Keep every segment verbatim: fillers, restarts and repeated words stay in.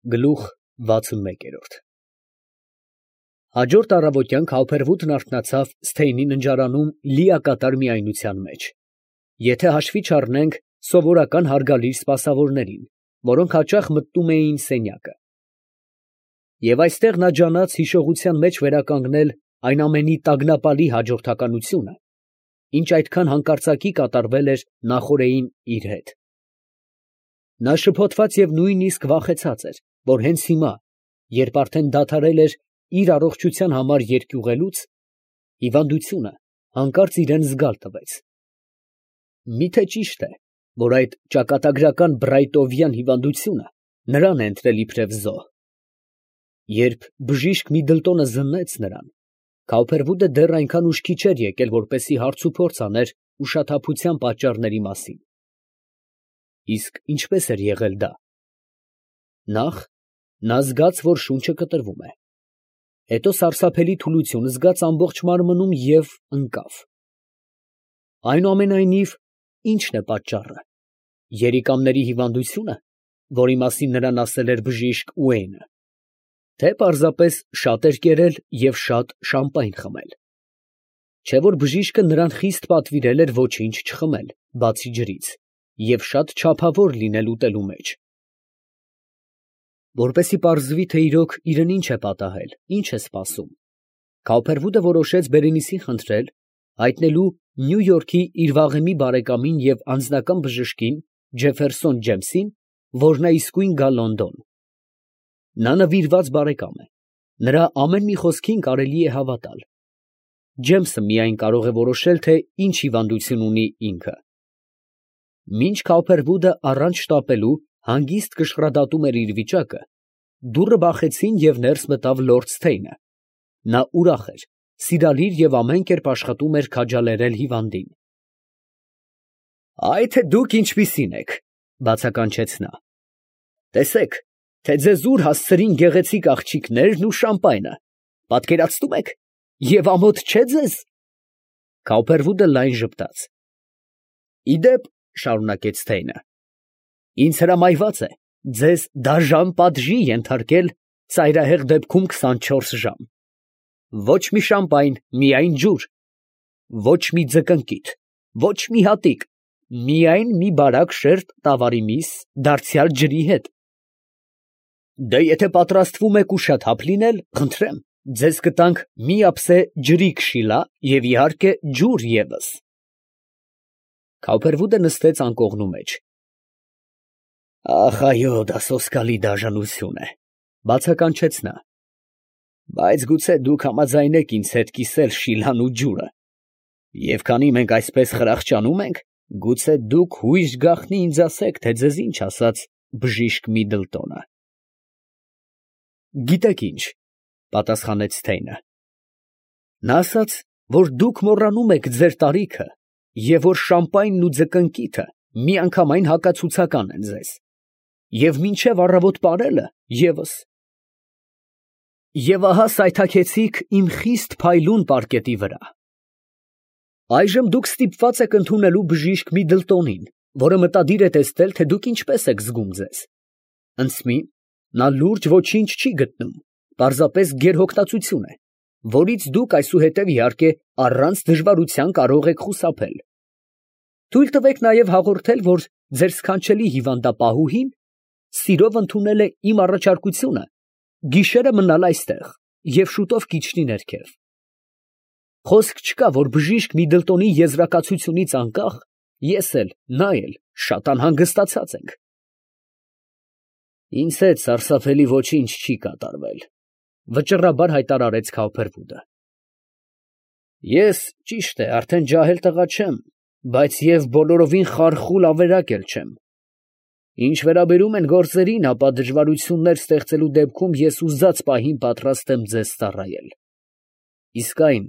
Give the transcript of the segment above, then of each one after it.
Գլուխ վաթսունմեկ։ Հաջորդ առավոտյան Քավբերվուտն արթնացավ Սթեյնի ննջարանում լիակատար միայնության մեջ, եթե հաշվի չառնենք սովորական հարգալից սպասավորներին, որոնք հաճախ մտնում էին սենյակը. և այստեղ նա ջանաց հիշողության մեջ վերականգնել այն ամենի տագնապալի հաջորդականությունը, ինչ այդքան հանկարծակի կատարվել էր նախօրեին իր հետ. նա շփոթված և նույնիսկ վախեցած էր, որ հենց հիմա, երբ արդեն դադարել էր իր առողջության համար երկյուղելուց, հիվանդությունը հանկարծ իրան զգալ տվեց. միթե ճիշտ է, որ այդ ճակատագրական բրայտովյան հիվանդությունը նրան է ընտրել իբրև զոհ. երբ բժիշկ Միդլտոնը զննեց նրան, Քավբերվուտը դեռ այնքան ուշքի չէր եկել, որպեսզի հարցուփորձ աներ ուշաթափության պատճառների մասին. իսկ ինչպե՞ս էր եղել դա. նախ, նա զգաց, որ շունչը կտրվում է, հետո սարսափելի թուլություն զգաց ամբողջ մարմնում և ընկավ. այնուամենայնիվ, ի՞նչն է պատճառը, երիկամների հիվանդությո՞ւնը, որի մասին նրան ասել էր բժիշկ Ուեյնը, թե պարզապես շատ էր կերել և շատ շամպայն խմել, չէ՞ որ բժիշկը նրան խիստ պատվիրել էր ոչինչ չխմել, բացի ջրից, և շատ չափավոր լինել ուտելու մեջ. որպեսզի պարզվի, թե իրոք իրան ինչ է պատահել, ինչ է սպասում, Քավբերվուտը որոշեց Բերենիսին խնդրել հայտնելու Նյու Յորքի իր վաղեմի բարեկամին և անձնական բժշկին Ջեֆերսոն Ջեմսին, որ նա իսկույն գա Լոնդոն. նա նվիրված բարեկամ է, նրա ամեն մի խոսքին կարելի է հավատալ, Ջեմսը միայն կարող է որոշել, թե ինչ հիվանդություն ունի ինքը։ Մինչ Քավբերվուտը առանց շտապելու հանգիստ կշռադատում էր իր վիճակը, դուռը բախեցին և ներս մտավ լորդ Սթեյնը. նա ուրախ էր, սիրալիր և ամեն կերպ աշխատում էր քաջալերել հիվանդին։ ֊ Այ թե դուք ինչպիսին եք, ֊ բացականչեց նա. ֊ տեսեք, թե ձեզ ուր հասցրին գեղեցիկ աղջիկներն ու շամպայնը, պատկերացնում եք, և ամոթ չէ՞ ձեզ։ Քավբերվուտը լայն ժպտաց։ ֊ Ի դեպ, ֊ շարունակեց Սթեյնը, ֊ ինձ հրամայված է ձեզ դաժան պատժի ենթարկել ծայրահեղ դեպքում քսանչորս ժամ. ոչ մի շամպայն, միայն ջուր, ոչ մի ձկնկիթ, ոչ մի հատիկ, միայն մի բարակ շերտ տավարի միս, դարձյալ ջրի հետ։ Դե եթե պատրաստվում եք ուշաթափ լինել, խնդրեմ, ձեզ կտանք մի ափսե ջրի քշիլա և իհարկե ջուր ևս։ Քավբերվուտը նստեց անկողնու մեջ։ Ախ, այո, դա սոսկալի դաժանություն է, ֊ բացականչեց նա, ֊ բայց գուցե դուք համաձայնեք ինձ հետ կիսել շիլան ու ջուրը, և քանի մենք այսպես խրախճանում ենք, գուցե դուք հույժ գաղտնի ինձ ասեք, թե ձեզ ինչ ասաց բժիշկ Միդլտոնը։ ֊ Գիտեք ինչ, ֊ պատասխանեց Սթեյնը, ֊ նա ասաց, որ դուք մոռանում եք ձեր տարիքը և որ շամպայնն ու ձկնկիթը միանգամայն հակացուցական են ձեզ, և մինչև առավոտ պարելը ևս։ Եվ ահա սայթաքեցիք իմ խիստ փայլուն պարկետի վրա։ Այժմ դուք ստիպված եք ընդունելու բժիշկ Միդլտոնին, որը մտադիր է տեսնել, թե դուք ինչպես եք զգում ձեզ։ Ընծմի, նա լուրջ ոչինչ չի գտնում, պարզապես գերհոգտածություն է, որից դուք այսուհետև, իհարկե, առանց դժվարության կարող եք խուսափել։ Թույլ տվեք նաև հաղորդել, որ ձեր սքանչելի հիվանդապահուհին սիրով ընդունել է իմ առաջարկությունը գիշերը մնալ այստեղ և շուտով կիջնի ներքև։ Խոսք չկա, որ բժիշկ Միդլտոնի եզրակացությունից անկախ ես էլ, նա էլ շատ անհանգստացած ենք։ Ինձ հետ սարսափելի ոչինչ չի կատարվել, ֊ վճռաբար հայտարարեց Քավբերվուտը։ Ես, ճիշտ է, արդեն ջահել տղա չեմ, բայց և բոլորովին խարխուլ ավերակ էլ չեմ։ Ինչ վերաբերում են գործերին, ապա դժվարություններ ստեղծելու դեպքում ես ուզած պահին պատրաստ եմ ձեզ ծառայել։ Իսկ այն,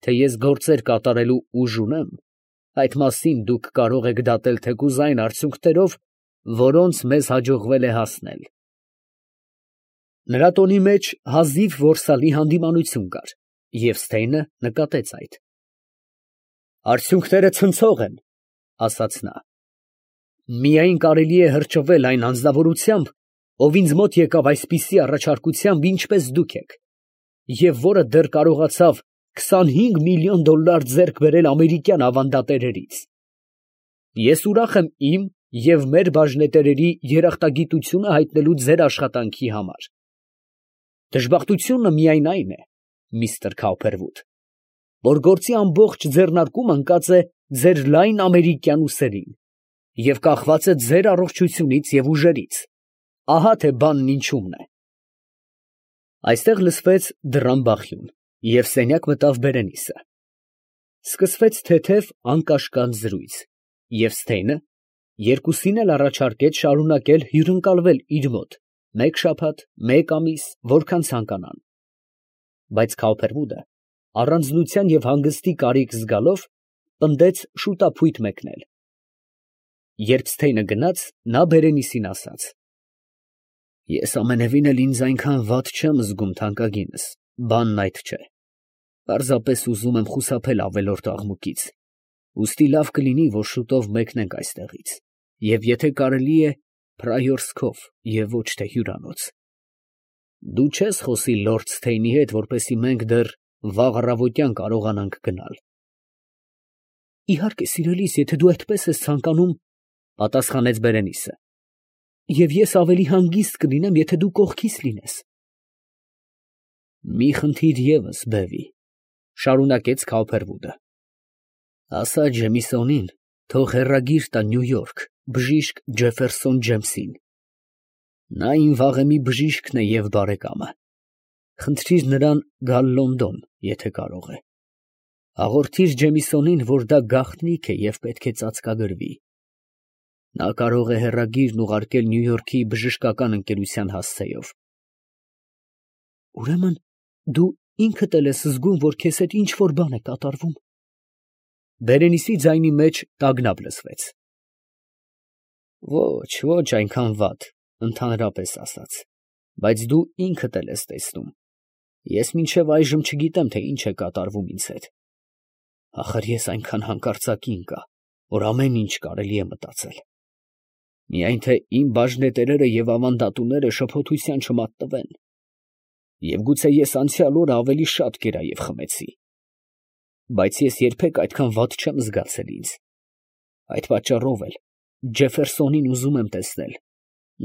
թե ես գործեր կատարելու ուժ ունեմ, այդ մասին դուք կարող եք դատել թեկուզ այն արդյունքներով, որոնց մեզ հաջողվել է հասնել։ Նրա տոնի մեջ հազիվ որսալի հանդիմանություն կար, և Սթեյնը նկատեց այդ։ Արդյունքները ցնցող են, ֊ ասաց նա։ Միայն կարելի է հրճվել այն անձնավորությամբ, ով ինձ մոտ եկավ այսպիսի առաջարկությամբ, ինչպես դուք եք, և որը դեռ կարողացավ քսանհինգ միլիոն դոլար ձեռք բերել ամերիկյան ավանդատերերից։ Ես ուրախ եմ իմ և մեր բաժնետերերի երախտագիտությունը հայտնելու ձեր աշխատանքի համար։ Դժբախտությունը միայն այն է, միստր Քաուփերվուդ, որ գործի ամբողջ ձեռնարկումը ընկած է ձեր լայն ամերիկյան ուսերին և կախված է ձեր առողջությունից և ուժերից, ահա թե բանն ինչումն է։ Այստեղ լսվեց դռան բախյուն, և սենյակ մտավ Բերենիսը։ Սկսվեց թեթև անկաշկանդ զրույց, և Սթեյնը երկուսին էլ առաջարկեց շարունակել հյուրընկալվել իր մոտ մեկ շաբաթ, մեկ ամիս, որքան ցանկանան, բայց Քաուփերվուդը, առանձնության և հանգստի կարիք զգալով, պնդեց շուտափույթ մեկնել։ Երբ Սթեյնը գնաց, նա Բերենիսին ասաց. «Ես ամենևին էլ ինձ այնքան վատ չեմ զգում, թանկագինս, բանն այդ չէ. պարզապես ուզում եմ խուսափել ավելորդ աղմուկից, ուստի լավ կլինի, որ շուտով մեկնենք այստեղից, և եթե կարելի է, Պրայորսկով և ոչ թե հյուրանոց։ Դու չես խոսի լորդ Սթեյնի հետ, որպեսզի մենք դեռ վաղ առավոտյան կարողանանք գնալ»։ «Իհարկե, սիրելիս, եթե դու այդպես ես ցանկանում, ֊ պատասխանեց Բերենիսը, ֊ և ես ավելի հանգիստ կլինեմ, եթե դու կողքիս լինես»։ «Մի խնդիր ևս, բևի, ֊ շարունակեց Քաուփերվուդը. ֊ ասա Ջեմիսոնին, թող հեռագիր տա Նյու Յորք բժիշկ Ջեֆերսոն Ջեյմսին. նա իմ վաղեմի բժիշկն է և բարեկամը. խնդրիր նրան գալ Լոնդոն, եթե կարող է. հաղորդիր Ջեմիսոնին, որ դա գաղտնիք է և պետք է ծածկագրվի. նա կարող է հեռագիրն ուղարկել Նյու Յորքի բժշկական ընկերության հասցեով»։ «Ուրեմն դու ինքդ էլ ես զգում, որ քեզ հետ ինչ֊որ բան է կատարվում»։ Բերենիսի ձայնի մեջ տագնապ լսվեց։ «Ոչ, ոչ այնքան վատ, ընդհանրապես ասած, բայց դու ինքդ էլ ես տեսնում, ես մինչև այժմ չգիտեմ, թե ինչ է կատարվում ինձ հետ։ Ախր ես այնքան հանկարծակի ընկա, որ ամեն ինչ կարելի է մտածել։ Միայն թե իմ բաժնետերերը և ավանդատուները շփոթության չմատնվեն, և գուցե ես անցյալ օրը ավելի շատ կերա և խմեցի, բայց ես երբեք այդքան վատ չեմ զգացել ինձ։ Այդ պատճառով էլ Ջեֆերսոնին ուզում եմ տեսնել,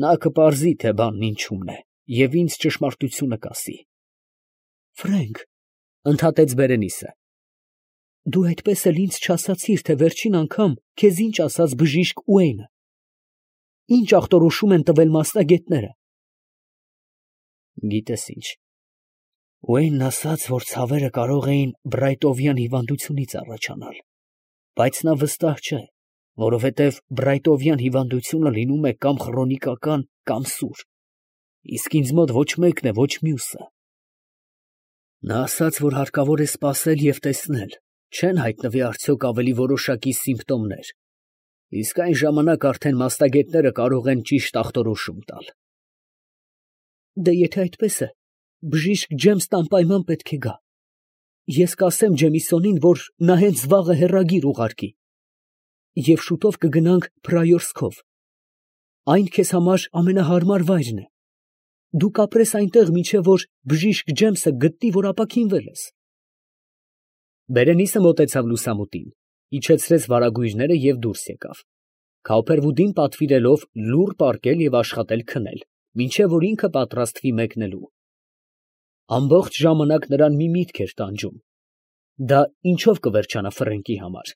նա կպարզի, թե բանն ինչումն է, և ինձ ճշմարտությունը կասի»։ «Ֆրենկ, ֊ ընդհատեց Բերենիսը, ֊ դու այդպես էլ ինձ չասացիր, թե վերջին անգամ քեզ ինչ ասաց բժիշկ Ուեյնը, ինչ ախտորոշում են տվել մասնագետները»։ «Գիտես ինչ, Ուեյնն ասաց, որ ցավերը կարող էին բրայտովյան հիվանդությունից առաջանալ, բայց նա վստահ չէ, որովհետև բրայտովյան հիվանդությունը լինում է կամ խրոնիկական, կամ սուր, իսկ ինձ մոտ ոչ մեկն է, ոչ մյուսը։ Նա ասաց, որ հարկավոր է սպասել և տեսնել, չեն հայտնվի արդյոք ավելի որոշակի սիմպտոմներ, իսկ այն ժամանակ արդեն մասնագետները կարող են ճիշտ ախտորոշում տալ»։ «Դե եթե այդպես է, բժիշկ Ջեյմսն անպայման պետք է գա։ Ես կասեմ Ջեմիսոնին, որ նա հենց վաղը հեռագիր ուղարկի, և շուտով կգնանք Պրայորսկով. այն քեզ համար ամենահարմար վայրն է։ Դու կապրես այնտեղ, մինչև որ բժիշկ Ջեյմսը գտնի, որ ապաքինվել ես»։ Բերենիսը մոտեցավ լուսամուտին, իջեցրեց վարագույրները և դուրս եկավ, Քաուփերվուդին պատվիրելով լուռ պառկել և աշխատել քնել, մինչև որ ինքը պատրաստվի մեկնելու։ Ամբողջ ժամանակ նրան մի միտք էր տանջում. դա ինչով կվերջանա Ֆրենկի համար։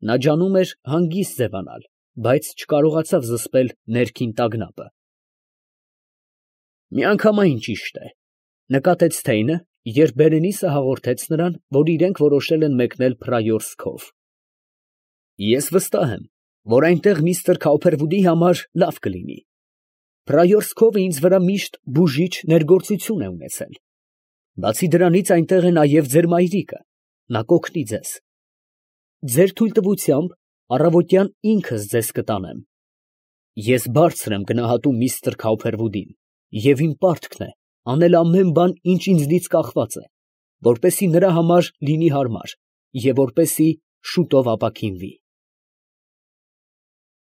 Նա ջանում էր հանգիստ ձևանալ, բայց չկարողացավ զսպել ներքին տագնապը։ «Միանգամայն ճիշտ է, ֊ նկատեց Սթեյնը, երբ Բերենիսը հաղորդեց նրան, որ իրենք որոշել են մեկնել Պրայորսկով։ Ես վստահ եմ, որ այնտեղ միստր Քաուփերվուդի համար լավ կլինի։ Պրայորսկովը ինձ վրա միշտ բուժիչ ներգործություն է ունեցել։ Բացի դրանից այնտեղ է նաև ձեր մայրիկը, նա կօգնի ձեզ։ Ձեր թույլտվությամբ առավոտյան ինքս ձեզ կտանեմ։ Ես բարձր եմ գնահատում միստր Քաուփերվուդին, և իմ պարտքն է անել ամեն բան, ինչ ինձնից կախված է, որպեսզի նրա համար լինի հարմար և որպեսզի շուտով ապաքինվի»։